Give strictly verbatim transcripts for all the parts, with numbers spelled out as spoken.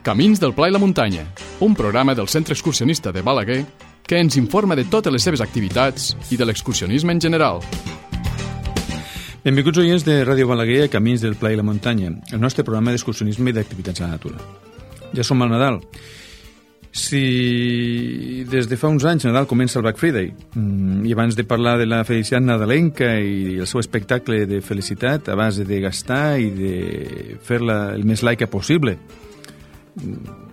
Camins del Pla i la Muntanya, un programa del Centre Excursionista de Balaguer que ens informa de totes les seves activitats i de l'excursionisme en general. Benvinguts oients de Ràdio Balaguer a Camins del Pla i la Muntanya, el nostre programa d'excursionisme i d'activitats a la natura. Ja som al Nadal. Si des de fa uns anys Nadal comença el Black Friday i abans de parlar de la felicitat nadalenca i el seu espectacle de felicitat a base de gastar i de fer-la el més laica possible,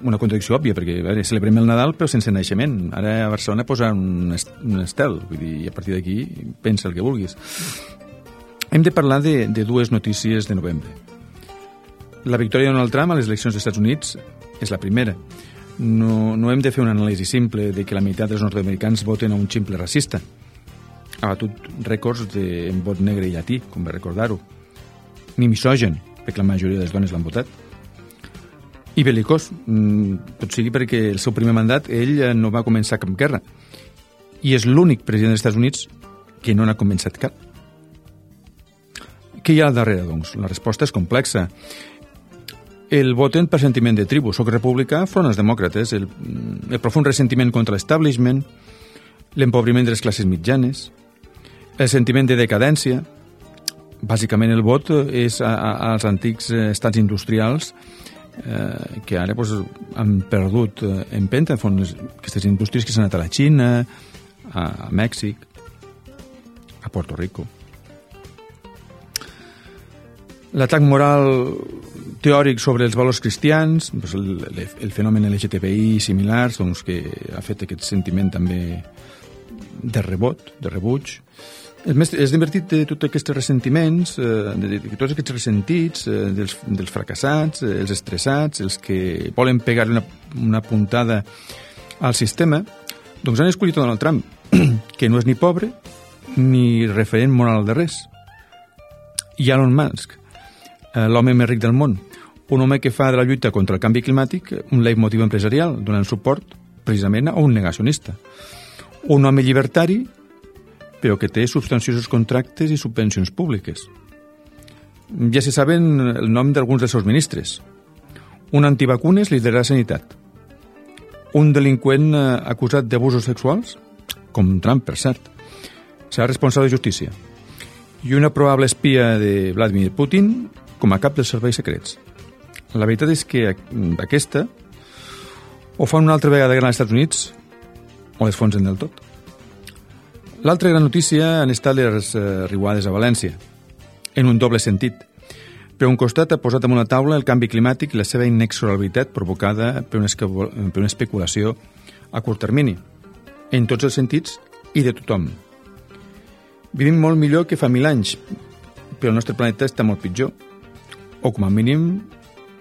una contradicció òbvia, perquè a veure, celebrem el Nadal però sense naixement. Ara a Barcelona posa un, est un estel, vull dir, i a partir d'aquí pensa el que vulguis. Hem de parlar de, de dues notícies de novembre. La victòria de Donald Trump a les eleccions dels Estats Units és la primera. No, no hem de fer una anàlisi simple de que la meitat dels nord-americans voten a un ximple racista. Ha batut rècords de, en vot negre i llatí, com va recordar-ho. Ni misògen, perquè la majoria de les dones l'han votat. I belicós, tot sigui perquè el seu primer mandat ell no va començar cap guerra. I és l'únic president dels Estats Units que no n'ha començat cap. Què hi ha al darrere, doncs? La resposta és complexa. El voten per sentiment de tribu. Soc republicà, front als demòcrates, el, el profund ressentiment contra l'establishment, l'empobriment de les classes mitjanes, el sentiment de decadència. Bàsicament el vot és a, a, als antics estats industrials eh, que ara pues, han perdut eh, empenta, fons aquestes indústries que s'han anat a la Xina, a, a Mèxic, a Puerto Rico. L'atac moral teòric sobre els valors cristians, doncs el, el fenomen L G T B I i similars, doncs, que ha fet aquest sentiment també de rebot, de rebuig. És, més, és divertit de tots aquests ressentiments, eh, de, de, de tots aquests ressentits, eh, dels, dels fracassats, eh, els estressats, els que volen pegar una, una puntada al sistema, doncs han escollit Donald Trump, que no és ni pobre ni referent moral de res. I Elon Musk, l'home més ric del món, un home que fa de la lluita contra el canvi climàtic un leitmotiv empresarial, donant suport precisament a un negacionista. Un home llibertari, però que té substanciosos contractes i subvencions públiques. Ja se saben el nom d'alguns dels seus ministres. Un antivacunes lidera la sanitat. Un delinqüent acusat d'abusos sexuals, com Trump, per cert, serà responsable de justícia. I una probable espia de Vladimir Putin com a cap dels serveis secrets. La veritat és que aquesta o fa una altra vegada guerra als Estats Units o les fonsen del tot. L'altra gran notícia han estat les eh, riuades a València, en un doble sentit. Per un costat ha posat damunt la taula el canvi climàtic i la seva inexorabilitat provocada per una, per una especulació a curt termini, en tots els sentits i de tothom. Vivim molt millor que fa mil anys, però el nostre planeta està molt pitjor, o com a mínim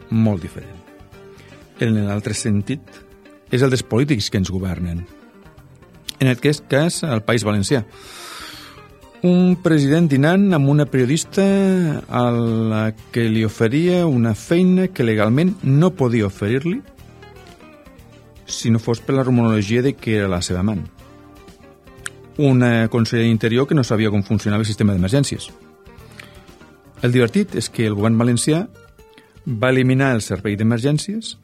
molt diferent. En l'altre sentit és el dels polítics que ens governen. En aquest cas, al País Valencià. Un president dinant amb una periodista a la que li oferia una feina que legalment no podia oferir-li si no fos per la rumorologia de que era la seva amant. Una consellera d'interior que no sabia com funcionava el sistema d'emergències. El divertit és que el govern valencià va eliminar el servei d'emergències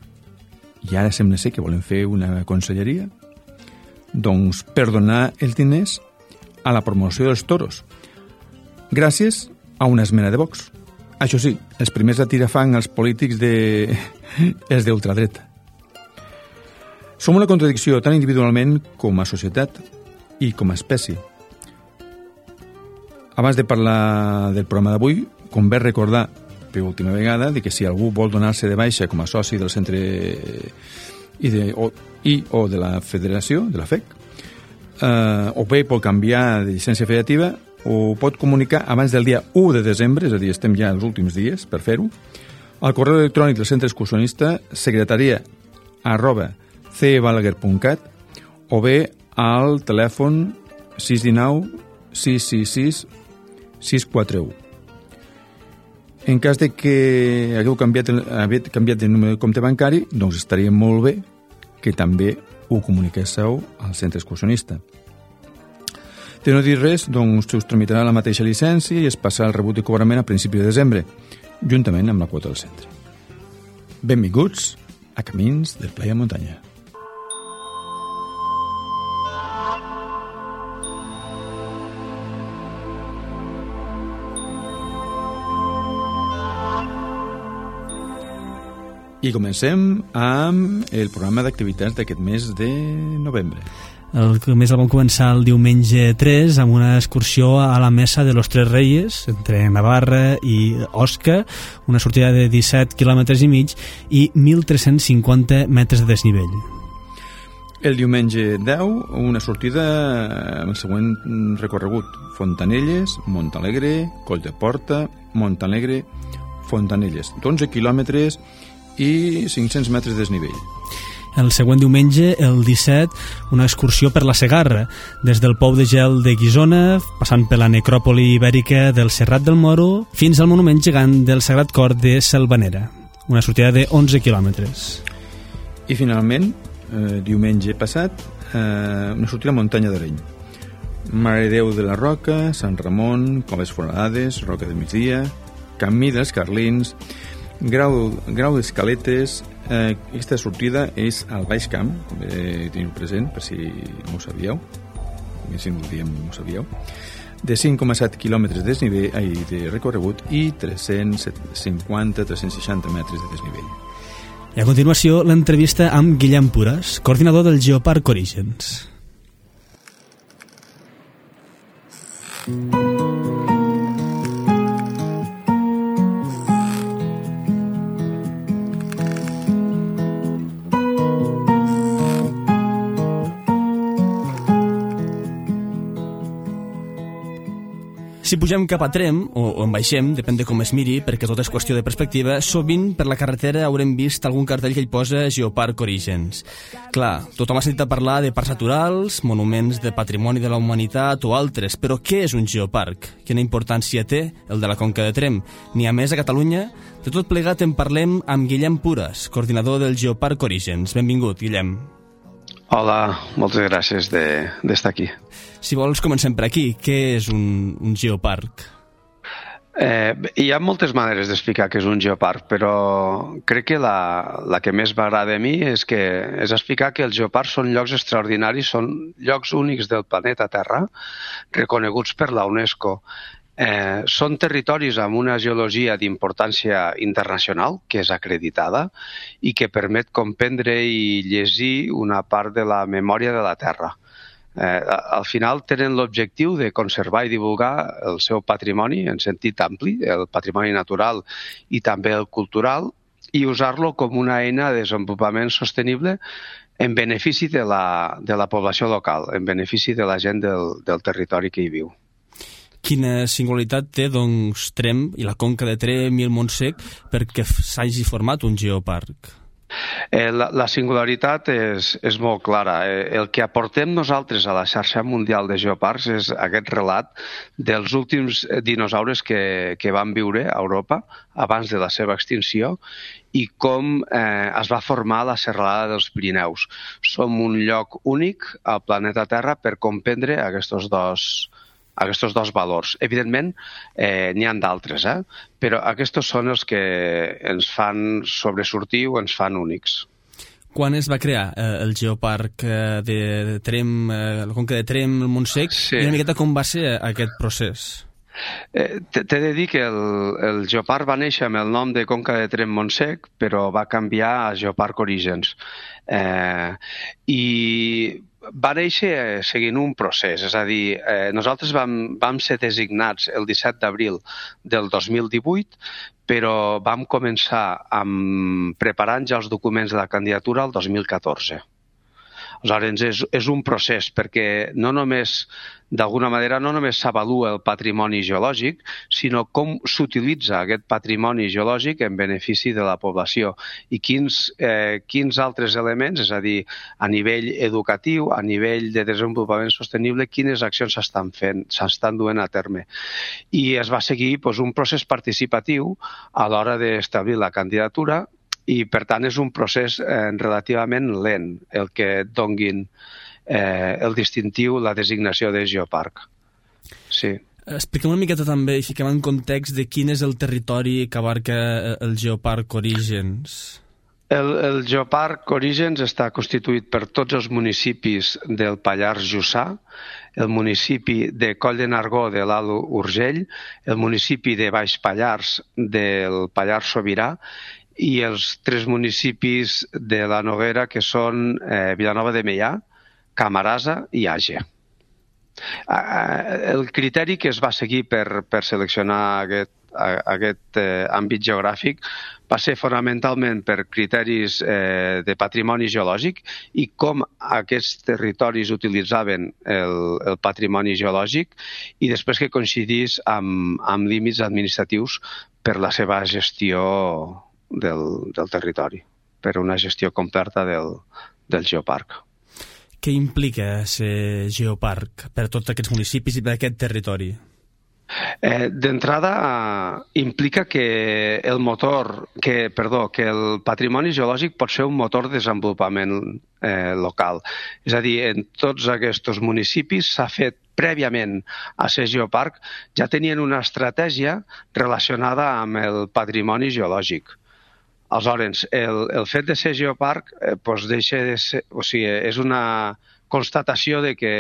i ara sembla ser que volen fer una conselleria doncs per donar els diners a la promoció dels toros gràcies a una esmena de Vox. Això sí, els primers a tirar fang als polítics de... és d'ultradreta. Som una contradicció tant individualment com a societat i com a espècie. Abans de parlar del programa d'avui, com bé recordar per última vegada de que si algú vol donar-se de baixa com a soci del centre i, de, o, i o de la federació, de la F E C, eh, o bé pot canviar de llicència federativa, ho pot comunicar abans del dia u de desembre, és a dir, estem ja als últims dies per fer-ho, al correu electrònic del centre excursionista secretaria arroba cebalaguer punt cat o bé al telèfon sis u nou sis sis sis sis quatre u. En cas de que hagueu canviat, hagueu canviat de número de compte bancari, doncs estaria molt bé que també ho comuniquéssiu al centre excursionista. De no dir res, doncs us tramitarà la mateixa llicència i es passarà el rebut de cobrament a principi de desembre, juntament amb la quota del centre. Benvinguts a Camins del Playa Muntanya. I comencem amb el programa d'activitats d'aquest mes de novembre. El mes el vam començar el diumenge tres amb una excursió a la Mesa de los Tres Reyes entre Navarra i Osca, una sortida de disset quilòmetres i mig i mil tres-cents cinquanta metres de desnivell. El diumenge deu, una sortida amb el següent recorregut: Fontanelles, Montalegre, Coll de Porta, Montalegre, Fontanelles, d'onze quilòmetres i cinc-cents metres de desnivell. El següent diumenge, el disset, una excursió per la Segarra, des del Pou de Gel de Guissona, passant per la necròpoli ibèrica del Serrat del Moro, fins al monument gegant del Sagrat Cor de Selvanera, una sortida de onze quilòmetres. I finalment, eh, diumenge passat, eh, una sortida a Muntanya d'Areny. Mare de Déu de la Roca, Sant Ramon, Coves Foradades, Roca de Migdia, Camí dels Carlins, Grau, grau d'Escaletes. Eh, aquesta sortida és al Baix Camp, com eh, teniu present, per si no ho sabíeu, si no ho diem no ho sabíeu, de cinc coma set quilòmetres de desnivell, ai, de recorregut i tres-cents cinquanta a tres-cents seixanta metres de desnivell. I a continuació, l'entrevista amb Guillem Pures, coordinador del Geoparc Orígens. Si pugem cap a Tremp, o, o en baixem, depèn de com es miri, perquè tot és qüestió de perspectiva, sovint per la carretera haurem vist algun cartell que hi posa Geoparc Orígens. Clar, tothom ha sentit a parlar de parcs naturals, monuments de patrimoni de la humanitat o altres, però què és un geoparc? Quina importància té el de la Conca de Tremp? N'hi ha més a Catalunya? De tot plegat en parlem amb Guillem Pures, coordinador del Geoparc Orígens. Benvingut, Guillem. Hola, moltes gràcies de, d'estar aquí. Si vols, comencem per aquí. Què és un, un geoparc? Eh, hi ha moltes maneres d'explicar què és un geoparc, però crec que la, la que més m'agrada a mi és, que, és explicar que els geoparcs són llocs extraordinaris, són llocs únics del planeta Terra, reconeguts per la UNESCO. Eh, són territoris amb una geologia d'importància internacional, que és acreditada, i que permet comprendre i llegir una part de la memòria de la Terra. Eh, al final tenen l'objectiu de conservar i divulgar el seu patrimoni en sentit ampli, el patrimoni natural i també el cultural, i usar-lo com una eina de desenvolupament sostenible en benefici de la, de la població local, en benefici de la gent del, del territori que hi viu. Quina singularitat té, doncs, Tremp i la Conca de Tremp i el Montsec perquè s'hagi format un geoparc? Eh, la, la singularitat és, és molt clara. Eh, el que aportem nosaltres a la xarxa mundial de geoparcs és aquest relat dels últims dinosaures que, que van viure a Europa abans de la seva extinció i com eh, es va formar la serralada dels Pirineus. Som un lloc únic al planeta Terra per comprendre aquests dos aquests dos valors. Evidentment, eh, n'hi ha d'altres, eh? Però aquests són els que ens fan sobresortir o ens fan únics. Quan es va crear eh, el geoparc eh, de, de Tremp, eh, la Conca de Tremp, el Montsec, sí. I una miqueta com va ser aquest procés? Eh, T'he de dir que el, el geoparc va néixer amb el nom de Conca de Tremp Montsec, però va canviar a Geoparc Orígens. Eh, I va néixer seguint un procés, és a dir, eh, nosaltres vam, vam ser designats el disset d'abril del dos mil divuit, però vam començar amb, preparant ja els documents de la candidatura el dos mil catorze. Aleshores, és, és un procés perquè no només, d'alguna manera, no només s'avalua el patrimoni geològic, sinó com s'utilitza aquest patrimoni geològic en benefici de la població i quins, eh, quins altres elements, és a dir, a nivell educatiu, a nivell de desenvolupament sostenible, quines accions s'estan fent, s'estan duent a terme. I es va seguir doncs, un procés participatiu a l'hora d'establir la candidatura i, per tant, és un procés eh, relativament lent el que et donguin eh, el distintiu, la designació de geoparc. Sí. Expliquem una miqueta també i fiquem en context de quin és el territori que abarca el Geoparc Orígens. El, el Geoparc Orígens està constituït per tots els municipis del Pallars Jussà, el municipi de Coll de Nargó de l'Alt Urgell, el municipi de Baix Pallars del Pallars Sobirà i els tres municipis de la Noguera, que són eh, Vilanova de Meià, Camarasa i Àger. El criteri que es va seguir per, per seleccionar aquest, aquest eh, àmbit geogràfic va ser fonamentalment per criteris eh, de patrimoni geològic i com aquests territoris utilitzaven el, el patrimoni geològic i després que coincidís amb, amb límits administratius per la seva gestió del, del territori, per una gestió completa del, del geoparc. Què implica ser geoparc per tots aquests municipis i per aquest territori? Eh, D'entrada, eh, implica que el motor, que, perdó, que el patrimoni geològic pot ser un motor de desenvolupament eh, local. És a dir, en tots aquests municipis s'ha fet prèviament a ser geoparc, ja tenien una estratègia relacionada amb el patrimoni geològic. Aleshores, el, el fet de ser geoparc eh, doncs deixa de ser, o sigui, és una constatació de que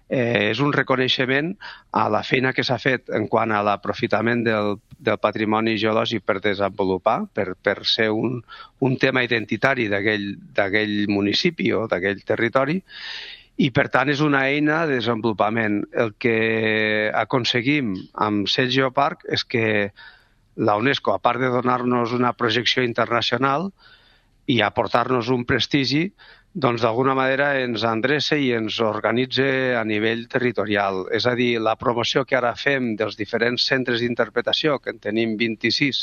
eh, és un reconeixement a la feina que s'ha fet en quant a l'aprofitament del, del patrimoni geològic per desenvolupar, per, per ser un, un tema identitari d'aquell municipi o d'aquell territori, i per tant és una eina de desenvolupament. El que aconseguim amb ser geoparc és que la UNESCO, a part de donar-nos una projecció internacional i aportar-nos un prestigi, doncs d'alguna manera ens endreça i ens organitza a nivell territorial. És a dir, la promoció que ara fem dels diferents centres d'interpretació, que en tenim vint-i-sis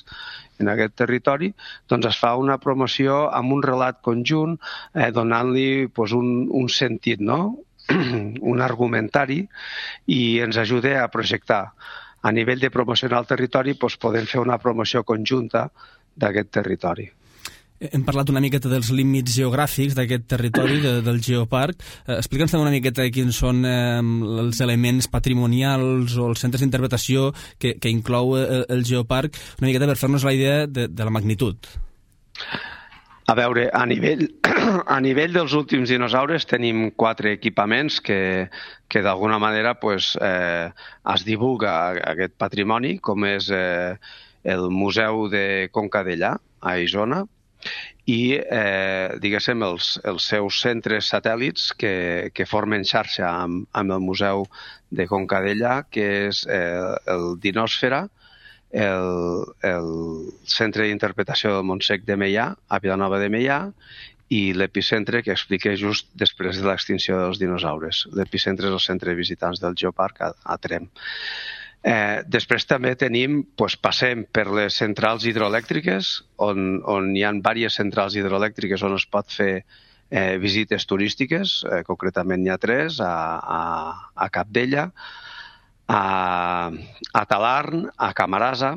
en aquest territori, doncs es fa una promoció amb un relat conjunt, eh, donant-li pues, un, un sentit, no? un argumentari, i ens ajuda a projectar. A nivell de promocionar el territori, doncs podem fer una promoció conjunta d'aquest territori. Hem parlat una miqueta dels límits geogràfics d'aquest territori, de, del geoparc. Eh, Explica'ns una miqueta quins són eh, els elements patrimonials o els centres d'interpretació que, que inclou el, el geoparc, una miqueta per fer-nos la idea de, de la magnitud. A veure, a nivell, a nivell dels últims dinosaures tenim quatre equipaments que, que d'alguna manera pues, eh, es divulga aquest patrimoni, com és eh, el Museu de Conca Dellà, a Isona, i eh, diguéssim els, els seus centres satèl·lits que, que formen xarxa amb, amb el Museu de Conca Dellà, que és eh, el Dinòsfera, el, el Centre d'Interpretació del Montsec de Meià, a Vilanova de Meià, i l'epicentre que expliqué just després de l'extinció dels dinosaures. L'epicentre és el centre de visitants del Geoparc a, a Tremp. Eh, després també tenim, doncs, passem per les centrals hidroelèctriques, on, on hi ha diverses centrals hidroelèctriques on es pot fer eh, visites turístiques, eh, concretament n'hi ha tres, a, a, a Capdella, a, a Talarn, a Camarasa.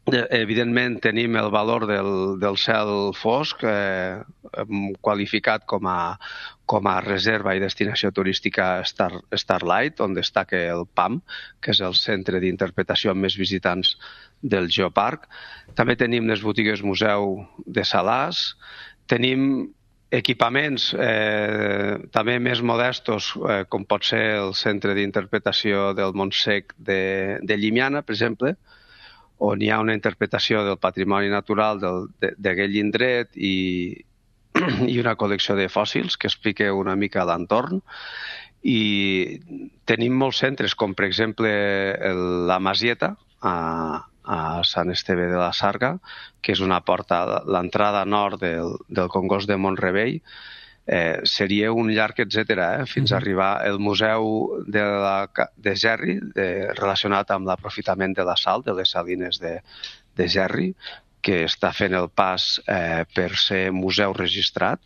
Evidentment tenim el valor del, del cel fosc, eh, qualificat com a, com a reserva i destinació turística Star, Starlight, on destaca el P A M, que és el centre d'interpretació amb més visitants del Geoparc. També tenim les botigues museu de Salàs, tenim equipaments eh, també més modestos, eh, com pot ser el centre d'interpretació del Montsec de, de Llimiana, per exemple, on hi ha una interpretació del patrimoni natural d'aquell indret i, i una col·lecció de fòssils que explica una mica l'entorn. I tenim molts centres, com per exemple el, la Masieta, a, a Sant Esteve de la Sarga, que és una porta, l'entrada nord del, del Congost de Mont-rebei. Eh, seria un llarg etcètera, eh, fins a arribar al Museu de, la, de Gerri, de, relacionat amb l'aprofitament de la sal, de les salines de, de Gerri, que està fent el pas eh, per ser museu registrat.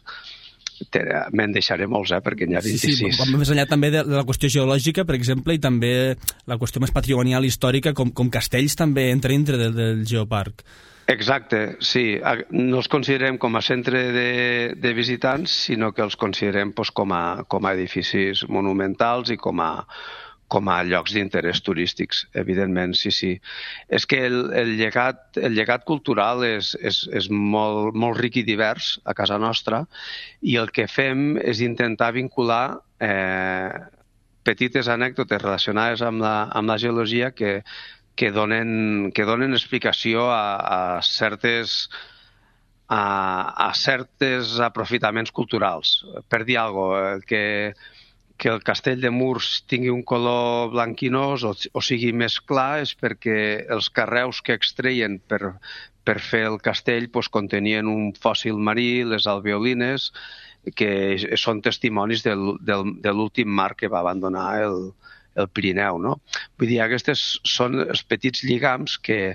Me'n deixaré molts, eh, perquè n'hi ha vint-i-sis. Sí, sí, més enllà també de la qüestió geològica, per exemple, i també la qüestió més patrimonial històrica, com, com castells també entra dintre del, del Geoparc. Exacte, sí. No els considerem com a centre de, de visitants, sinó que els considerem pues, com, a, com a edificis monumentals i com a, com a llocs d'interès turístics, evidentment, sí, sí. És que el, el, llegat, el llegat cultural és, és, és molt, molt ric i divers a casa nostra, i el que fem és intentar vincular eh, petites anècdotes relacionades amb la, amb la geologia que, que, donen, que donen explicació a, a certes... A, a certes aprofitaments culturals. Per dir alguna cosa, que, que el castell de Murs tingui un color blanquinós o, o sigui més clar és perquè els carreus que extreien per, per fer el castell pues, contenien un fòssil marí, les alveolines, que són testimonis del, del, de l'últim mar que va abandonar el, el Pirineu. No? Vull dir, aquests són els petits lligams que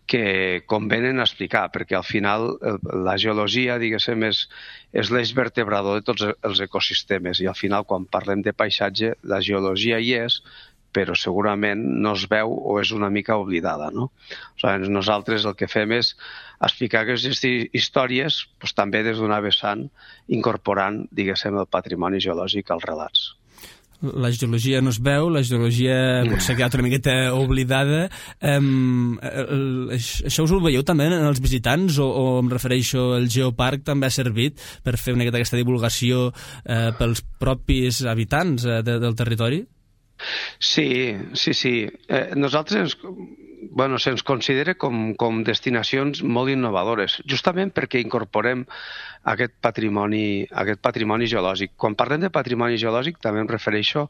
que convenen explicar, perquè al final la geologia, diguéssim, és, és l'eix vertebrador de tots els ecosistemes, i al final quan parlem de paisatge la geologia hi és, però segurament no es veu o és una mica oblidada, no? O sigui, nosaltres el que fem és explicar aquestes històries doncs, també des d'una vessant, incorporant, diguéssim, el patrimoni geològic als relats. La geologia no es veu, la geologia potser ha quedat una miqueta oblidada. Um, el, això us ho veieu també en els visitants o, o em refereixo, el Geoparc també ha servit per fer una miqueta aquesta divulgació eh, pels propis habitants eh, de, del territori? Sí, sí, sí. Eh, nosaltres bueno, se'ns considera com, com destinacions molt innovadores, justament perquè incorporem aquest patrimoni, aquest patrimoni geològic. Quan parlem de patrimoni geològic també em refereixo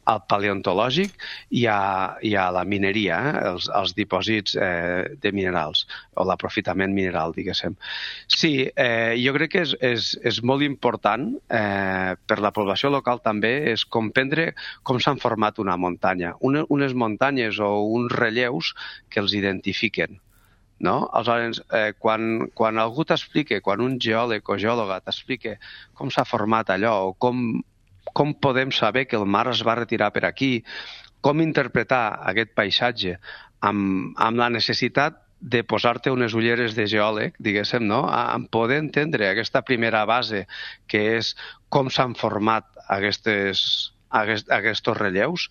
al paleontològic i a, i a la mineria, eh? els, els dipòsits eh, de minerals o l'aprofitament mineral, diguéssim. Sí, eh, jo crec que és, és, és molt important eh, per la població local també és comprendre com s'han format una muntanya, una, unes muntanyes o uns relleus que els identifiquen. No? Aleshores, eh, quan, quan algú t'explica, quan un geòleg o geòloga t'explica com s'ha format allò o com, com podem saber que el mar es va retirar per aquí, com interpretar aquest paisatge amb, amb la necessitat de posar-te unes ulleres de geòleg, diguéssim, no? En poder entendre aquesta primera base que és com s'han format aquestes, aquest, aquests relleus,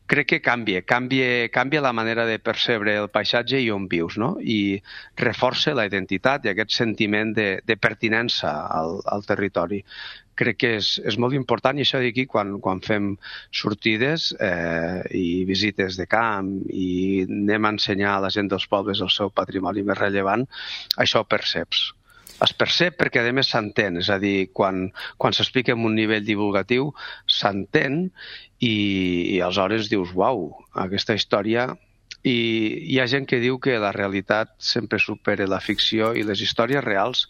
crec que canvia, canvia, canvia la manera de percebre el paisatge i on vius, no? I reforça la identitat i aquest sentiment de, de pertinença al, al territori. Crec que és, és molt important, i això d'aquí, quan, quan fem sortides eh, i visites de camp i anem a ensenyar a la gent dels pobles el seu patrimoni més rellevant, això ho perceps. Es percep perquè, a més, s'entén. És a dir, quan, quan s'explica en un nivell divulgatiu, s'entén i, i aleshores dius, uau, aquesta història... I hi ha gent que diu que la realitat sempre supera la ficció i les històries reals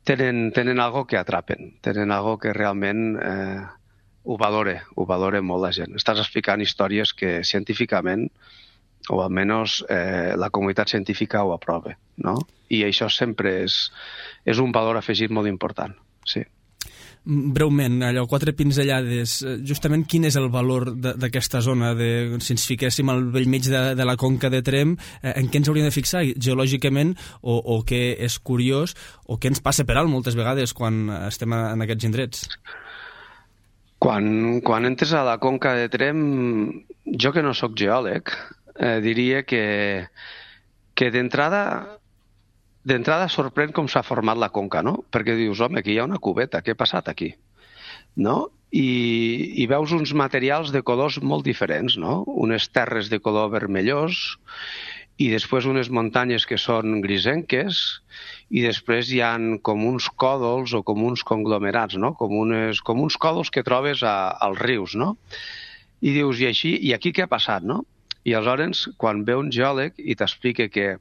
tenen, tenen algo que atrapen, tenen algo que realment eh, ho valora, ho valora molt la gent. Estàs explicant històries que científicament, o almenys eh, la comunitat científica ho aprova, no? I això sempre és, és un valor afegit molt important, sí. Breument, allò, quatre pinzellades, justament quin és el valor d'aquesta zona? De, si ens fiquéssim al bell mig de, de la conca de Tremp, eh, en què ens hauríem de fixar geològicament, o, o què és curiós, o què ens passa per alt moltes vegades quan estem en aquests indrets? Quan, quan entres a la conca de Tremp, jo que no sóc geòleg, eh, diria que, que d'entrada d'entrada sorprèn com s'ha format la conca, no? Perquè dius, home, aquí hi ha una cubeta, què ha passat aquí? No? I, i veus uns materials de colors molt diferents, no? Unes terres de color vermellós i després unes muntanyes que són grisenques i després hi ha com uns còdols o com uns conglomerats, no? Com, unes, com uns còdols que trobes a, als rius, no? I dius, i així, i aquí què ha passat, no? I aleshores, quan ve un geòleg i t'explica que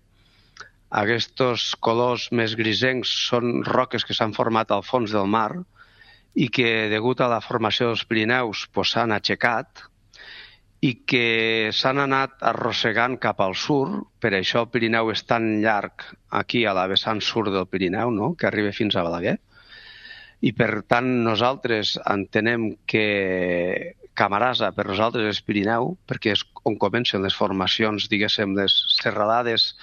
aquests colors més grisencs són roques que s'han format al fons del mar i que, degut a la formació dels Pirineus, pues, s'han aixecat i que s'han anat arrossegant cap al sud, per això el Pirineu és tan llarg aquí a la vessant sud del Pirineu, no? Que arriba fins a Balaguer. I per tant nosaltres entenem que Camarasa per nosaltres és Pirineu, perquè és on comencen les formacions, diguéssim, les serralades,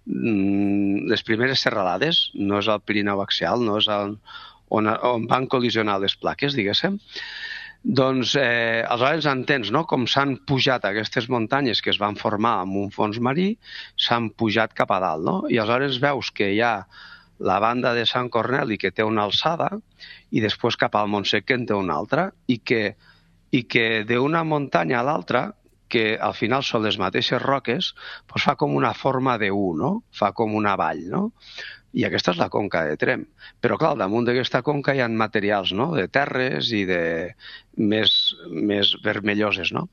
les primeres serralades, no és el Pirineu axial, no és el, on, on van col·lisionar les plaques, diguéssim. Doncs, eh, aleshores entens, no?, com s'han pujat aquestes muntanyes que es van formar amb un fons marí, s'han pujat cap a dalt, no? I aleshores veus que hi ha la banda de Sant Corneli que té una alçada i després cap al Montsec que en té una altra, i que, i que d'una muntanya a l'altra, que al final són les mateixes roques, doncs fa com una forma de U, no? Fa com una vall, no? I aquesta és la conca de Tremp. Però, clar, damunt d'aquesta conca hi ha materials, no?, de terres i de més, més vermelloses, no?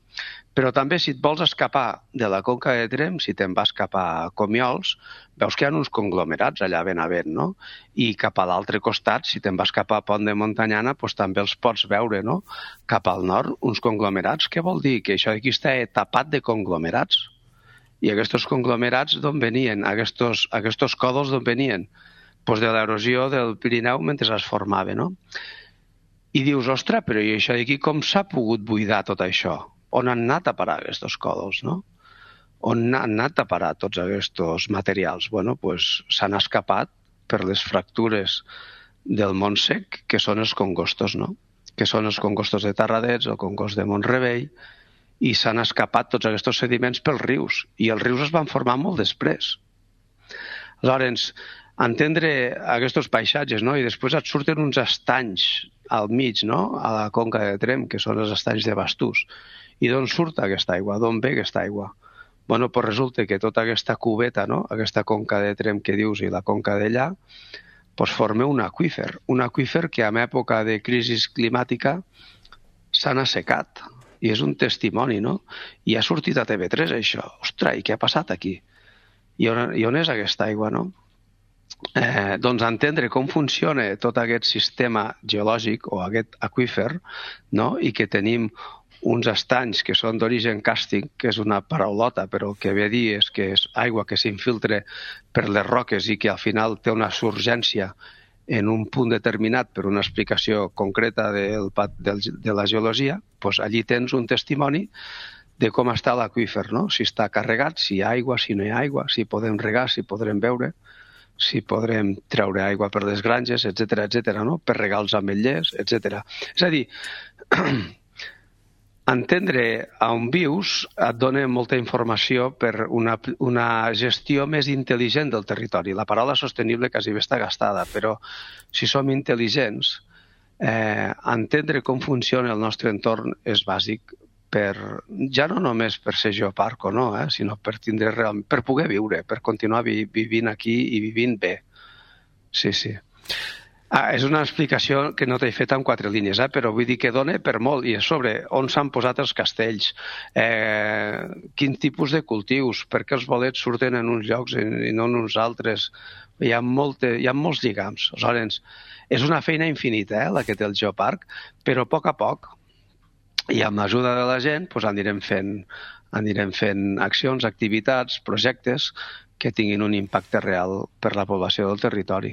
Però també, si et vols escapar de la conca de Tremp, si te'n vas cap a Comiols, veus que hi ha uns conglomerats allà ben a ben, no? I cap a l'altre costat, si te'n vas cap a Pont de Montanyana, doncs també els pots veure, no? Cap al nord, uns conglomerats. Què vol dir? Que això aquí està tapat de conglomerats. I aquests conglomerats d'on venien? Aquests, aquests còdols d'on venien? Pues de l'erosió del Pirineu mentre es formava, no? I dius, ostres, però i això d'aquí com s'ha pogut buidar tot això? On han anat a parar aquests còdols, no? On han anat a parar tots aquests materials? Bueno, pues s'han escapat per les fractures del Montsec, que són els congostos, no? Que són els congostos de Tarradets, el congost de Montrebell, i s'han escapat tots aquests sediments pels rius, i els rius es van formar molt després. Aleshores, entendre aquests paisatges, no? I després et surten uns estanys al mig, no?, a la conca de Tremp, que són els estanys de Bastús. I d'on surt aquesta aigua? D'on ve aquesta aigua? Bueno, doncs resulta que tota aquesta cubeta, no?, aquesta conca de Tremp que dius i la conca d'allà, doncs forma un aqüífer, un aqüífer que en època de crisi climàtica s'han assecat. I és un testimoni, no? I ha sortit a T V tres, això. Ostres, i què ha passat aquí? I on, i on és aquesta aigua, no? Eh, doncs entendre com funciona tot aquest sistema geològic o aquest aqüífer, no? I que tenim uns estanys que són d'origen càrstic, que és una paraulota, però el que ve a dir és que és aigua que s'infiltra per les roques i que al final té una surgència en un punt determinat per una explicació concreta del, del, de la geologia, doncs allí tens un testimoni de com està l'aqüífer, no? Si està carregat, si hi ha aigua, si no hi ha aigua, si podem regar, si podrem beure, si podrem treure aigua per les granges, etcètera, etcètera, no? Per regar els ametllers, etcètera. És a dir, entendre on vius et dona molta informació per una, una gestió més intel·ligent del territori. La paraula sostenible quasi bé està gastada, però si som intel·ligents, eh, entendre com funciona el nostre entorn és bàsic, per, ja no només per ser geoparc o no, eh, sinó per, tindre real, per poder viure, per continuar vi, vivint aquí i vivint bé. Sí, sí. Ah, és una explicació que no t'he fet en quatre línies, eh? Però vull dir que dona per molt. I és sobre on s'han posat els castells, eh, quin tipus de cultius, per què els bolets surten en uns llocs i no en uns altres. Hi ha, molte, hi ha molts lligams. Aleshores, és una feina infinita, eh, la que té el geoparc, però a poc a poc, i amb l'ajuda de la gent, doncs anirem fent, anirem fent accions, activitats, projectes que tinguin un impacte real per la població del territori.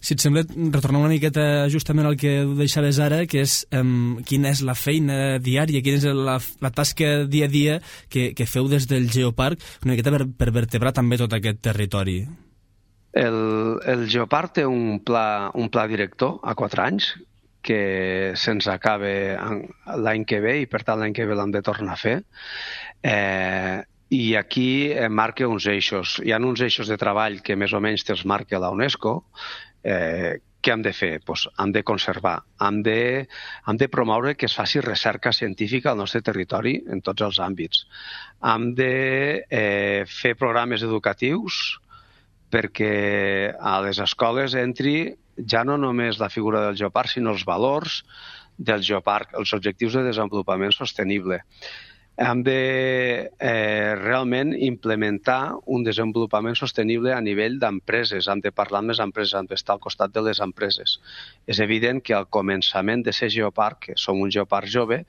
Si et sembla, retornar una miqueta justament al que deixaves ara, que és um, quina és la feina diària, quina és la, la tasca dia a dia que, que feu des del Geoparc, una miqueta per, per vertebrar també tot aquest territori. El, el Geoparc té un pla, un pla director a quatre anys, que se'ns acaba l'any que ve i per tant l'any que ve l'hem de tornar a fer. Eh, I aquí marca uns eixos. Hi ha uns eixos de treball que més o menys te'ls marca la UNESCO. Eh, què hem de fer? Pues hem de conservar, hem de, hem de promoure que es faci recerca científica al nostre territori en tots els àmbits. Hem de eh, fer programes educatius perquè a les escoles entri ja no només la figura del geoparc, sinó els valors del geoparc, els objectius de desenvolupament sostenible. Hem de eh, realment implementar un desenvolupament sostenible a nivell d'empreses, hem de parlar amb les empreses, hem d'estar al costat de les empreses. És evident que al començament de ser geoparc, que som un geoparc jove,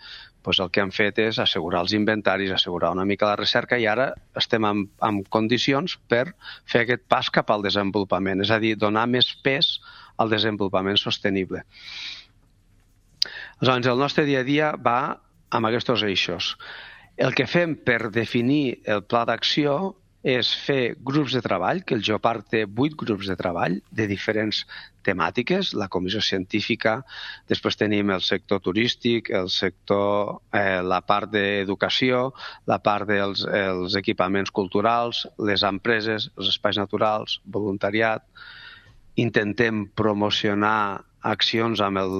doncs el que hem fet és assegurar els inventaris, assegurar una mica la recerca i ara estem en, en condicions per fer aquest pas cap al desenvolupament, és a dir, donar més pes al desenvolupament sostenible. Aleshores, el nostre dia a dia va amb aquests eixos. El que fem per definir el pla d'acció és fer grups de treball, que el Geoparc té vuit grups de treball de diferents temàtiques, la comissió científica, després tenim el sector turístic, el sector, eh, la part d'educació, la part dels els equipaments culturals, les empreses, els espais naturals, voluntariat. Intentem promocionar accions amb el,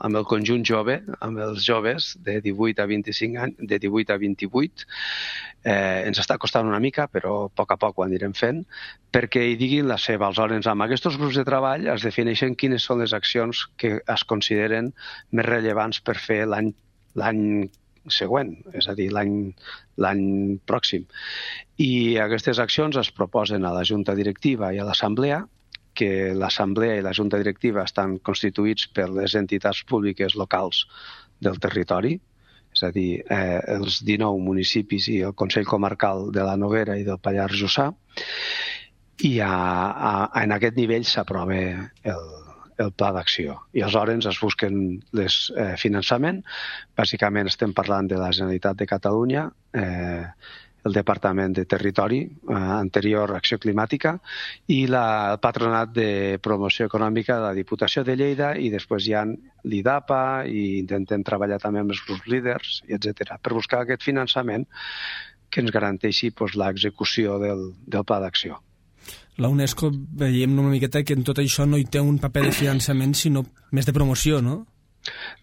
amb el conjunt jove, amb els joves de divuit a vint-i-cinc anys, de divuit a vint-i-vuit. Eh, ens està costant una mica, però a poc a poc ho anirem fent, perquè hi diguin la seva. Aleshores, amb aquests grups de treball es defineixen quines són les accions que es consideren més rellevants per fer l'any l'any següent, és a dir, l'any l'any pròxim. I aquestes accions es proposen a la Junta Directiva i a l'Assemblea, que l'Assemblea i la Junta Directiva estan constituïts per les entitats públiques locals del territori, és a dir, eh, els dinou municipis i el Consell Comarcal de la Noguera i del Pallars Jussà, i a, a, en aquest nivell s'aprova el, el pla d'acció. I aleshores es busquen les eh, finançament. Bàsicament estem parlant de la Generalitat de Catalunya, eh, el Departament de Territori, eh, anterior Acció Climàtica, i la, el Patronat de Promoció Econòmica de la Diputació de Lleida, i després hi ha l'I D A P A, i intentem treballar també amb els grups líders, etcètera, per buscar aquest finançament que ens garanteixi doncs, l'execució del, del pla d'acció. La UNESCO veiem una miqueta que en tot això no hi té un paper de finançament, sinó més de promoció, no?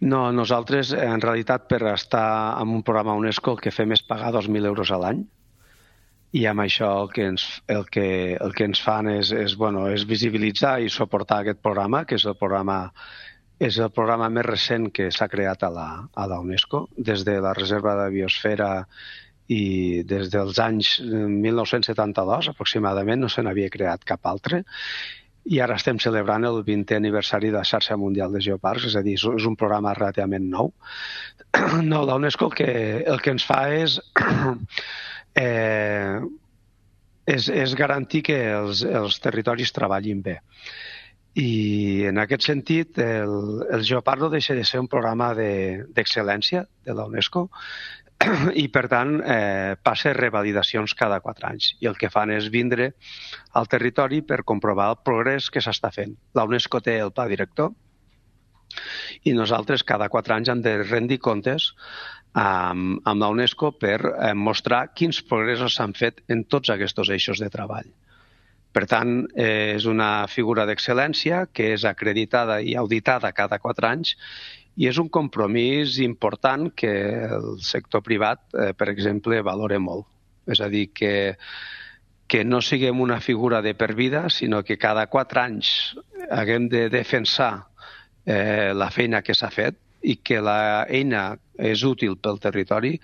No, nosaltres, en realitat, per estar en un programa UNESCO, el que fem és pagar dos mil euros a l'any, i amb això el que ens, el que, el que ens fan és, és, bueno, és visibilitzar i suportar aquest programa, que és el programa, és el programa més recent que s'ha creat a la, a la UNESCO, des de la Reserva de Biosfera i des dels anys mil nou-cents setanta-dos, aproximadament, no se n'havia creat cap altre. I ara estem celebrant el vintè aniversari de la Xarxa Mundial de Geoparcs, és a dir, és un programa relativament nou. No, la UNESCO el que, el que ens fa és, eh, és, és garantir que els, els territoris treballin bé. I en aquest sentit, el, el Geoparc no deixa de ser un programa d'excel·lència de, de la UNESCO, i per tant eh, passa revalidacions cada quatre anys, i el que fan és vindre al territori per comprovar el progrés que s'està fent. La UNESCO té el pla director i nosaltres cada quatre anys hem de rendir comptes amb, amb la UNESCO per eh, mostrar quins progressos s'han fet en tots aquests eixos de treball. Per tant, eh, és una figura d'excel·lència que és acreditada i auditada cada quatre anys, i és un compromís important que el sector privat, eh, per exemple, valora molt. És a dir, que, que no siguem una figura de per vida, sinó que cada quatre anys haguem de defensar eh, la feina que s'ha fet, i que l'eina és útil pel territori,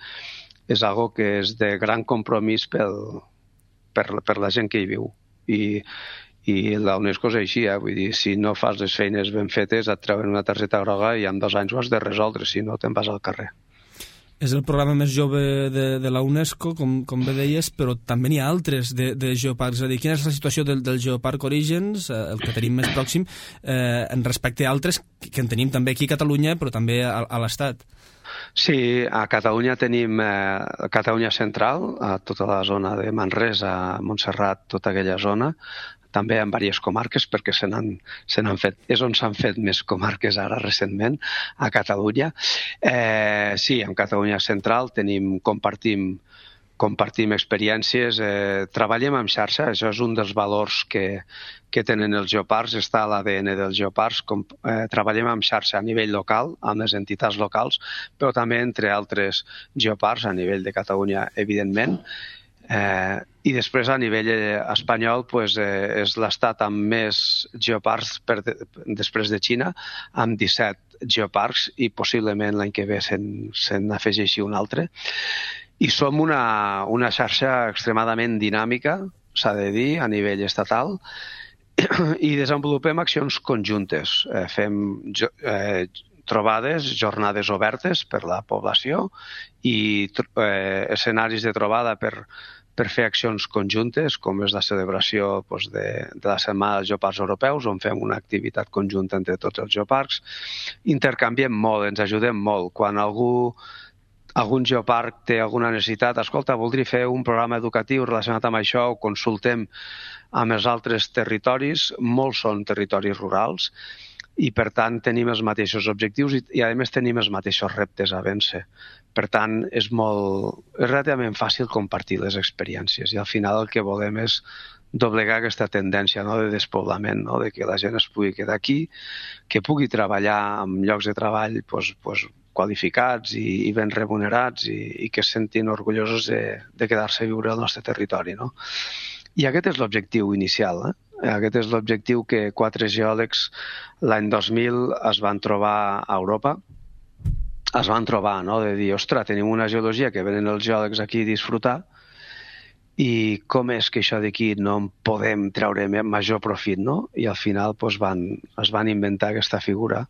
és algo que és de gran compromís pel, per, per la gent que hi viu. I, i la UNESCO és així, eh? Vull dir, si no fas les feines ben fetes et treuen una targeta groga i en dos anys ho has de resoldre, si no te'n vas al carrer. És el programa més jove de, de la UNESCO, com, com bé deies, però també n'hi ha altres de, de geoparcs. És a dir, quina és la situació del, del Geoparc Orígens, eh, el que tenim més pròxim, eh, en respecte a altres que en tenim també aquí a Catalunya, però també a, a l'Estat? Sí, a Catalunya tenim eh, Catalunya Central, a tota la zona de Manresa, Montserrat, tota aquella zona, també en diverses comarques, perquè se n'han se n'han fet, és on s'han fet més comarques ara recentment, a Catalunya. Eh, sí, en Catalunya Central tenim, compartim, compartim experiències, eh, treballem en xarxa, això és un dels valors que, que tenen els geoparcs, està a l'A D N dels geoparcs, com, eh, treballem en xarxa a nivell local, amb les entitats locals, però també entre altres geoparcs a nivell de Catalunya, evidentment. Eh, I després a nivell espanyol pues, eh, és l'estat amb més geoparcs per de, després de Xina, amb disset geoparcs, i possiblement l'any que ve se'n se n'afegeixi un altre. I som una, una xarxa extremadament dinàmica, s'ha de dir, a nivell estatal, i desenvolupem accions conjuntes. Eh, fem eh, trobades, jornades obertes per la població i eh, escenaris de trobada per, per fer accions conjuntes, com és la celebració doncs, de, de la Setmana dels Geoparcs Europeus, on fem una activitat conjunta entre tots els geoparcs. Intercanviem molt, ens ajudem molt. Quan algú algun geoparc té alguna necessitat, escolta, voldria fer un programa educatiu relacionat amb això, o consultem amb els altres territoris, molts són territoris rurals, i per tant tenim els mateixos objectius i, i a més tenim els mateixos reptes a vèncer. Per tant, és molt, és relativament fàcil compartir les experiències i al final el que volem és doblegar aquesta tendència, no, de despoblament, no, de que la gent es pugui quedar aquí, que pugui treballar en llocs de treball pues, pues, qualificats i, i ben remunerats i, i que es sentin orgullosos de, de quedar-se a viure al nostre territori. No? I aquest és l'objectiu inicial, eh? Aquest és l'objectiu que quatre geòlegs l'any dos mil es van trobar a Europa. Es van trobar, no?, de dir, ostres, tenim una geologia que venen els geòlegs aquí a disfrutar i com és que això d'aquí no en podem treure major profit, no? I al final pues, van, es van inventar aquesta figura.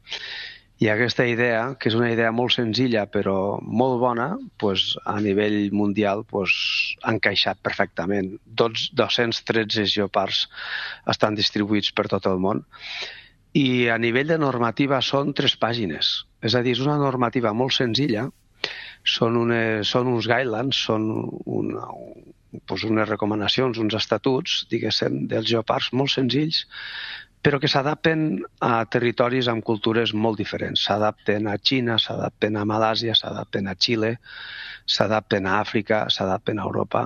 I aquesta idea, que és una idea molt senzilla però molt bona, pues, a nivell mundial pues, ha encaixat perfectament. dos-cents tretze geoparcs estan distribuïts per tot el món i a nivell de normativa són tres pàgines. És a dir, és una normativa molt senzilla, són, unes, són uns guidelines, són una, pues, unes recomanacions, uns estatuts, diguéssim, dels geoparcs molt senzills, però que s'adapten a territoris amb cultures molt diferents. S'adapten a Xina, s'adapten a Malàsia, s'adapten a Xile, s'adapten a Àfrica, s'adapten a Europa,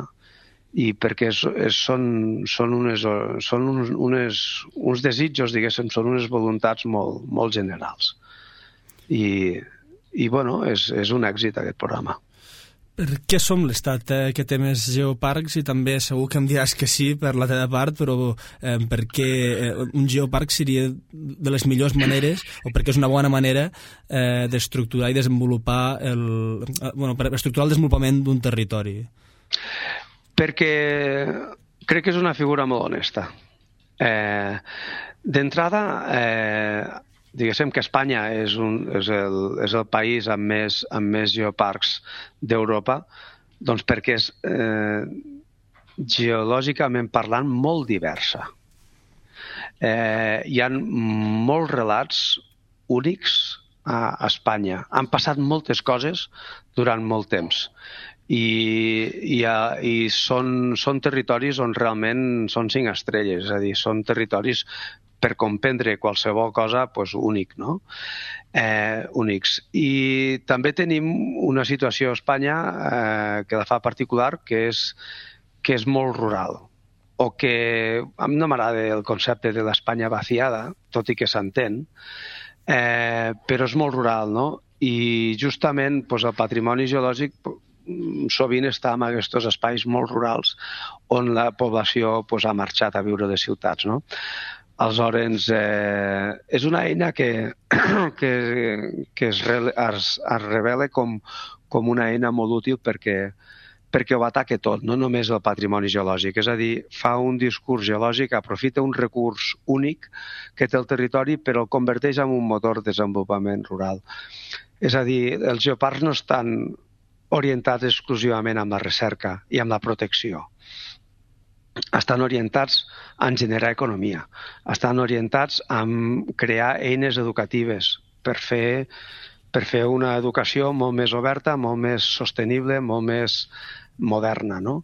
i perquè és, és, són, són, unes, són uns, unes, uns desitjos, diguéssim, són unes voluntats molt, molt generals. I, i bueno, és, és un èxit aquest programa. Per què som l'estat eh, que té més geoparcs? I també segur que em diràs que sí per la teva part, però eh, per què eh, un geoparc seria de les millors maneres o perquè és una bona manera eh, d'estructurar i desenvolupar el, eh, bueno, per estructurar el desenvolupament d'un territori? Perquè crec que és una figura molt honesta. Eh, D'entrada, eh, diguéssim que Espanya és, un, és, el, és el país amb més, amb més geoparcs d'Europa, doncs perquè és eh, geològicament parlant molt diversa. Eh, hi ha molts relats únics a Espanya. Han passat moltes coses durant molt temps. I, i, i són, són territoris on realment són cinc estrelles, és a dir, són territoris per comprendre qualsevol cosa pues, únic, no? Eh, únics. I també tenim una situació a Espanya eh, que la fa particular, que és, que és molt rural, o que a mi no m'agrada el concepte de l'Espanya vaciada, tot i que s'entén, eh, però és molt rural, no? I justament pues, el patrimoni geològic sovint està en aquests espais molt rurals on la població pues, ha marxat a viure a les ciutats, no? Aleshores, eh, és una eina que, que, que es, re, es, es revela com, com una eina molt útil perquè, perquè ho ataca tot, no només el patrimoni geològic. És a dir, fa un discurs geològic, aprofita un recurs únic que té el territori però el converteix en un motor de desenvolupament rural. És a dir, els geoparcs no estan orientats exclusivament amb la recerca i amb la protecció. Estan orientats en generar economia, estan orientats en crear eines educatives per fer, per fer una educació molt més oberta, molt més sostenible, molt més moderna, no?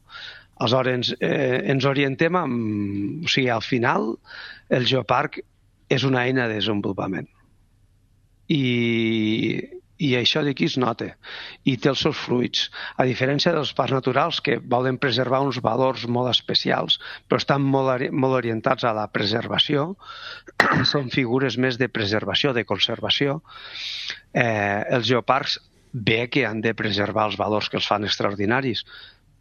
Aleshores, eh, ens orientem amb... O sigui, al final, el geoparc és una eina de desenvolupament. I... I això d'aquí es nota, i té els seus fruits. A diferència dels parcs naturals, que volen preservar uns valors molt especials, però estan molt, molt orientats a la preservació, són figures més de preservació, de conservació, eh, els geoparcs bé que han de preservar els valors que els fan extraordinaris,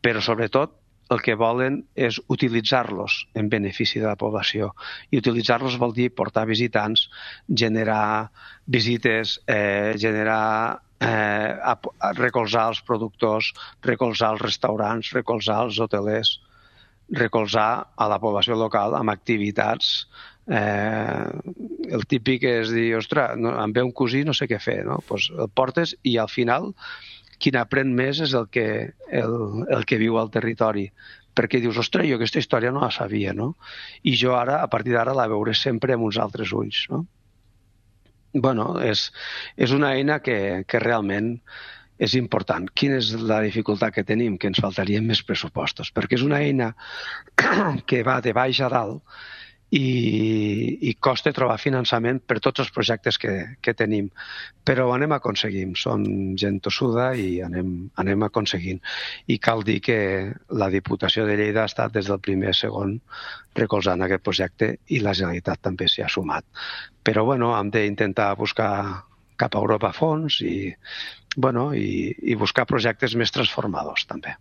però sobretot el que volen és utilitzar-los en benefici de la població. I utilitzar-los vol dir portar visitants, generar visites, eh, generar, eh, a, a recolzar els productors, recolzar els restaurants, recolzar els hotelers, recolzar a la població local amb activitats. Eh, el típic és dir, ostres, no, em ve un cosí, no sé què fer, no? Pues el portes i al final qui n'aprèn més és el que, el, el que viu al territori, perquè dius, ostres, jo aquesta història no la sabia, no? I jo ara, a partir d'ara, la veuré sempre amb uns altres ulls, no? Bueno, és, és una eina que, que realment és important. Quina és la dificultat que tenim? Que ens faltarien més pressupostos, perquè és una eina que va de baix a dalt i, i costa trobar finançament per tots els projectes que, que tenim. Però ho anem aconseguint. Som gent tossuda i anem, anem aconseguint. I cal dir que la Diputació de Lleida ha estat des del primer segon recolzant aquest projecte i la Generalitat també s'hi ha sumat. Però bueno, hem d'intentar buscar cap a Europa fons i, bueno, i, i buscar projectes més transformadors també.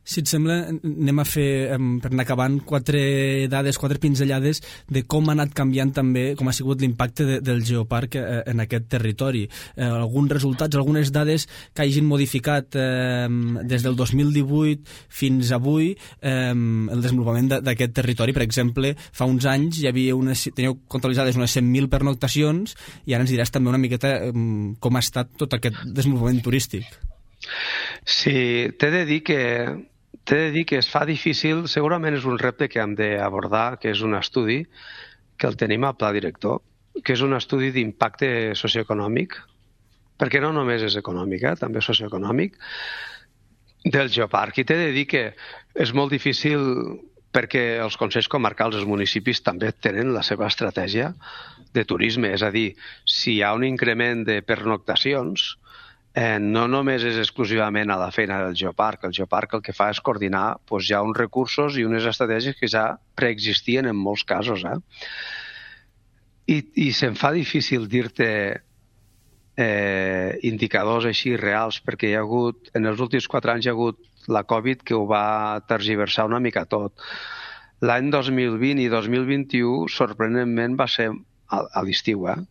Si et sembla, anem a fer, per anar acabant, quatre dades, quatre pinzellades de com ha anat canviant també, com ha sigut l'impacte de, del geoparc en aquest territori. Eh, alguns resultats, algunes dades que hagin modificat eh, des del dos mil divuit fins avui eh, el desenvolupament d'aquest territori. Per exemple, fa uns anys hi havia unes, teníeu comptabilitzades unes cent mil pernoctacions i ara ens diràs també una miqueta eh, com ha estat tot aquest desenvolupament turístic. Sí, t'he de dir que T'he de dir que es fa difícil, segurament és un repte que hem d'abordar, que és un estudi que el tenim al pla director, que és un estudi d'impacte socioeconòmic, perquè no només és econòmic, eh, també socioeconòmic, del geoparc. I t'he de dir que és molt difícil perquè els consells comarcals, els municipis, també tenen la seva estratègia de turisme. És a dir, si hi ha un increment de pernoctacions, Eh, no només és exclusivament a la feina del geoparc. El geoparc el que fa és coordinar doncs, ja uns recursos i unes estratègies que ja preexistien en molts casos. Eh? I, i se'm fa difícil dir-te eh, indicadors així reals, perquè hi ha hagut, en els últims quatre anys hi ha hagut la Covid que ho va tergiversar una mica tot. L'any dos mil vint i dos mil vint-i-u, sorprenentment, va ser a, a l'estiu, eh?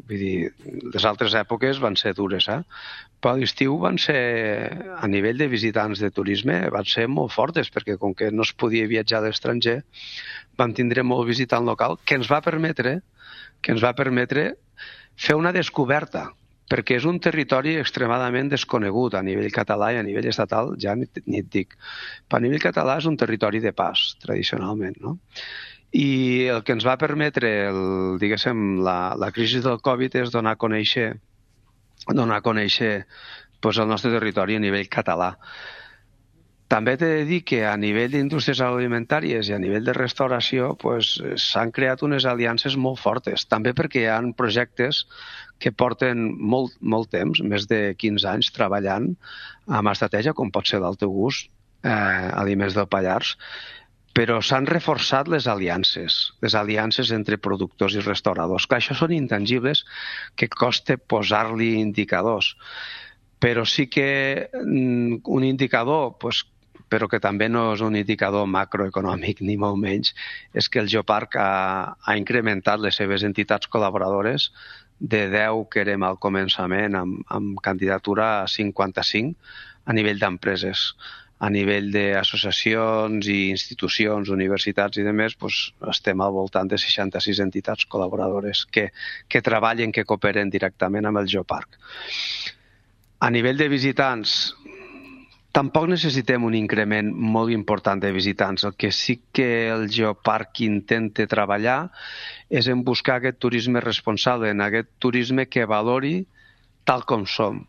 Vull dir, les altres èpoques van ser dures, eh? Però a l'estiu van ser, a nivell de visitants de turisme, van ser molt fortes, perquè com que no es podia viatjar a l'estranger, vam tindre molt visitant local, que ens va permetre, que ens va permetre fer una descoberta, perquè és un territori extremadament desconegut a nivell català i a nivell estatal, ja ni, ni et dic. Però a nivell català és un territori de pas, tradicionalment, no? I el que ens va permetre, el, diguéssim, la, la crisi del Covid és donar a conèixer, donar a conèixer doncs, el nostre territori a nivell català. També t'he de dir que a nivell d'indústries agroalimentàries i a nivell de restauració doncs, s'han creat unes aliances molt fortes, també perquè hi ha projectes que porten molt, molt temps, més de quinze anys, treballant amb estratègia, com pot ser del teu gust, eh, Aliments del Pallars, però s'han reforçat les aliances, les aliances entre productors i restauradors. Clar, això són intangibles que costa posar-li indicadors, però sí que un indicador, pues, però que també no és un indicador macroeconòmic, ni molt menys, és que el Geoparc ha, ha incrementat les seves entitats col·laboradores de deu que érem al començament amb, amb candidatura a cinquanta-cinc a nivell d'empreses. A nivell d'associacions i institucions, universitats i demés, doncs estem al voltant de seixanta-sis entitats col·laboradores que, que treballen, que cooperen directament amb el Geoparc. A nivell de visitants, tampoc necessitem un increment molt important de visitants. El que sí que el Geoparc intenta treballar és en buscar aquest turisme responsable, en aquest turisme que valori tal com som.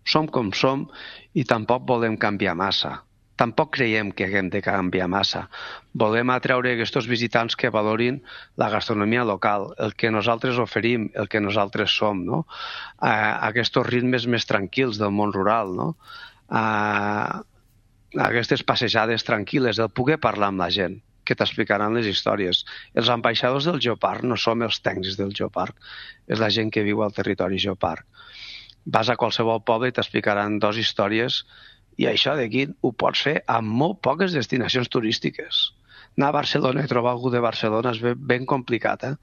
Som com som i tampoc volem canviar massa. Tampoc creiem que haguem de canviar massa. Volem atreure aquests visitants que valorin la gastronomia local, el que nosaltres oferim, el que nosaltres som, no? Uh, aquests ritmes més tranquils del món rural, no? Uh, aquestes passejades tranquil·les, el poder parlar amb la gent, que t'explicaran les històries. Els ambaixadors del Geoparc no som els tècnics del Geoparc, és la gent que viu al territori Geoparc. Vas a qualsevol poble i t'explicaran dues històries. I això d'aquí ho pots fer amb molt poques destinacions turístiques. Anar a Barcelona i trobar algú de Barcelona és ben, ben complicat, eh?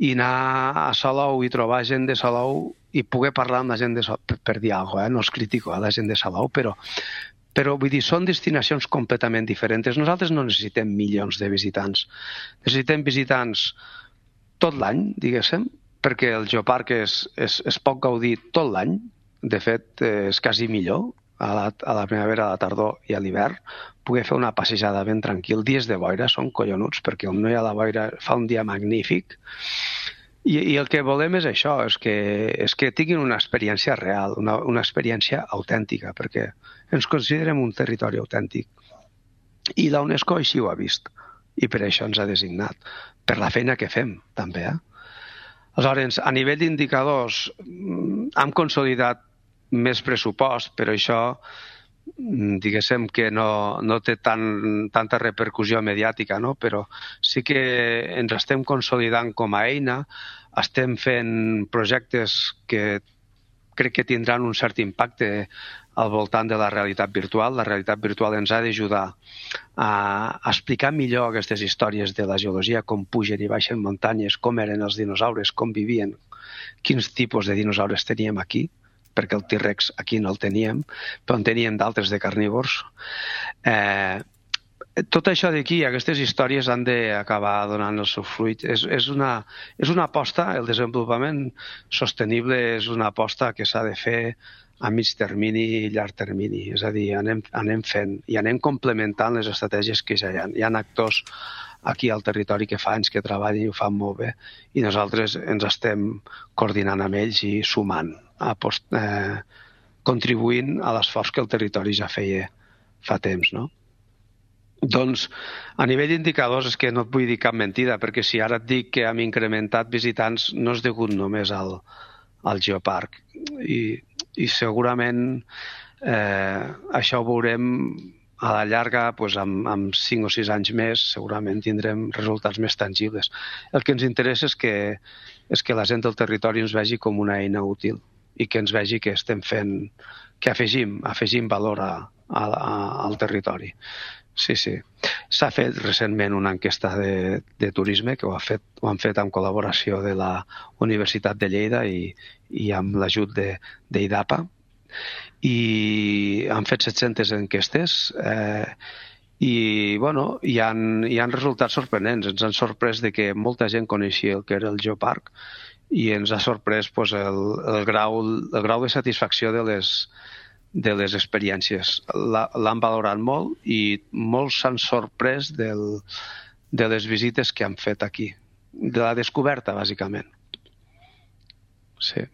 I anar a Salou i trobar gent de Salou i poder parlar amb la gent de Salou, per, per dir alguna cosa, eh? No és critico a la gent de Salou, però, però vull dir, són destinacions completament diferents. Nosaltres no necessitem milions de visitants. Necessitem visitants tot l'any, diguéssim, perquè el Geoparc es, es, es pot gaudir tot l'any. De fet, és quasi millor. A la, a la primavera, a la tardor i a l'hivern, poder fer una passejada ben tranquil. Dies de boira són collonuts, perquè on no hi ha la boira fa un dia magnífic I, I el que volem és això, és que, és que tinguin una experiència real, una, una experiència autèntica, perquè ens considerem un territori autèntic. I la UNESCO així ho ha vist, i per això ens ha designat, per la feina que fem, també. Eh? Aleshores, a nivell d'indicadors, hem consolidat més pressupost, però això, diguéssim que no, no té tan, tanta repercussió mediàtica, no? Però sí que ens estem consolidant com a eina, estem fent projectes que crec que tindran un cert impacte al voltant de la realitat virtual. La realitat virtual ens ha d'ajudar a explicar millor aquestes històries de la geologia, com pugen i baixen muntanyes, com eren els dinosaures, com vivien, quins tipus de dinosaures teníem aquí, perquè el T-Rex aquí no el teníem, però en teníem d'altres de carnívors. Eh, tot això d'aquí, aquestes històries han d'acabar donant el seu fruit. És, és, una, és una aposta, el desenvolupament sostenible és una aposta que s'ha de fer a mig termini i llarg termini. És a dir, anem, anem fent i anem complementant les estratègies que ja hi ha. Hi ha actors aquí al territori que fa anys que treballen i ho fan molt bé, i nosaltres ens estem coordinant amb ells i sumant, apost, eh, contribuint a l'esforç que el territori ja feia fa temps, no? Doncs, a nivell d'indicadors, és que no et vull dir cap mentida, perquè si ara et dic que hem incrementat visitants, no és degut només al, al Geoparc. I, i segurament eh, això ho veurem a la llarga, doncs, amb, amb cinc o sis anys més, segurament tindrem resultats més tangibles. El que ens interessa és que, és que la gent del territori ens vegi com una eina útil i que ens vegi que estem fent, que afegim, afegim valor a, a, a, al territori. Sí, sí. S'ha fet recentment una enquesta de, de turisme que ho, ha fet, ho han fet en col·laboració de la Universitat de Lleida i, i amb l'ajut d'IDAPA. I han fet set-centes enquestes eh, i bueno, hi ha, hi ha resultats sorprenents. Ens han sorprès de que molta gent coneixia el que era el Geoparc i ens ha sorprès pues, el, el, grau, el grau de satisfacció de les, de les experiències. L'han valorat molt i molts s'han sorprès del, de les visites que han fet aquí, de la descoberta, bàsicament. Sí.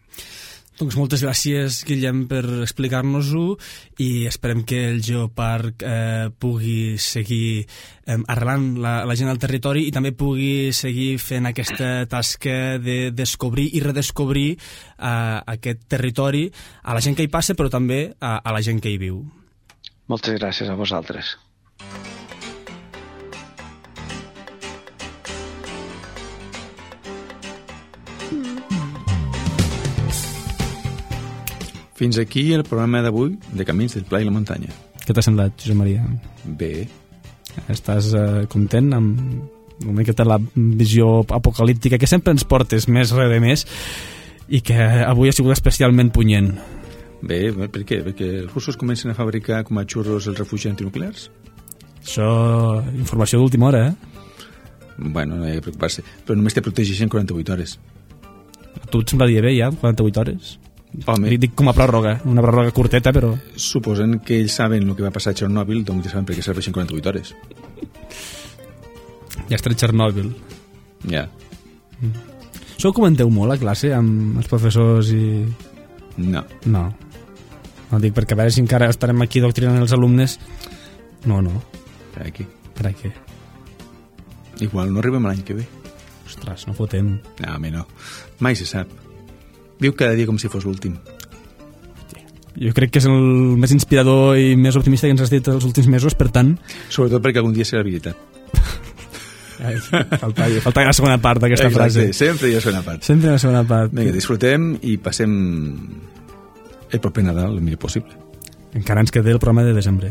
Doncs moltes gràcies, Guillem, per explicar-nos-ho i esperem que el Geoparc eh, pugui seguir eh, arrelant la, la gent al territori i també pugui seguir fent aquesta tasca de descobrir i redescobrir eh, aquest territori a la gent que hi passa, però també a, a la gent que hi viu. Moltes gràcies a vosaltres. Fins aquí el programa d'avui de Camins del Pla i la Muntanya. Què t'ha semblat, Josep Maria? Bé. Estàs eh, content amb una miqueta la visió apocalíptica que sempre ens portes més res de més i que avui ha sigut especialment punyent? Bé, per què? Perquè els russos comencen a fabricar com a xurros els refugis antinuclears? Això, informació d'última hora, eh? Bueno, no hi ha que preocupar-se. Però només te protegeixen quaranta-vuit hores. A tu et semblaria bé, ja, quaranta-vuit hores? Home, dic com a pròrroga, una pròrroga curteta, però... Suposen que ells saben el que va passar a Txernòbil, doncs ja saben per què serveixen quaranta-vuit hores. Ja està Txernòbil. Ja. Mm. Això ho comenteu molt a classe amb els professors i... No. No. No dic perquè a veure si encara estarem aquí doctrinant els alumnes. No, no. Per aquí. Per aquí. Igual no arribem l'any que ve. Ostres, no fotem. No, home, no. Mai se sap. Viu cada dia com si fos l'últim. Jo crec que és el més inspirador i més optimista que ens has dit els últims mesos, per tant... Sobretot perquè algun dia serà veritat. Ai, falta, falta la segona part d'aquesta frase. Sempre hi ha segona part. Sempre hi ha segona part. Vinga, disfrutem i passem el proper Nadal el millor possible. Encara ens queda el programa de desembre.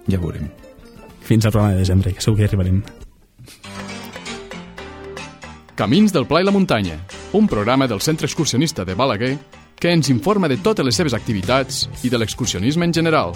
Ja veurem. Fins al programa de desembre, que segur que hi arribarem. Camins del Pla i la Muntanya, un programa del Centre Excursionista de Balaguer que ens informa de totes les seves activitats i de l'excursionisme en general.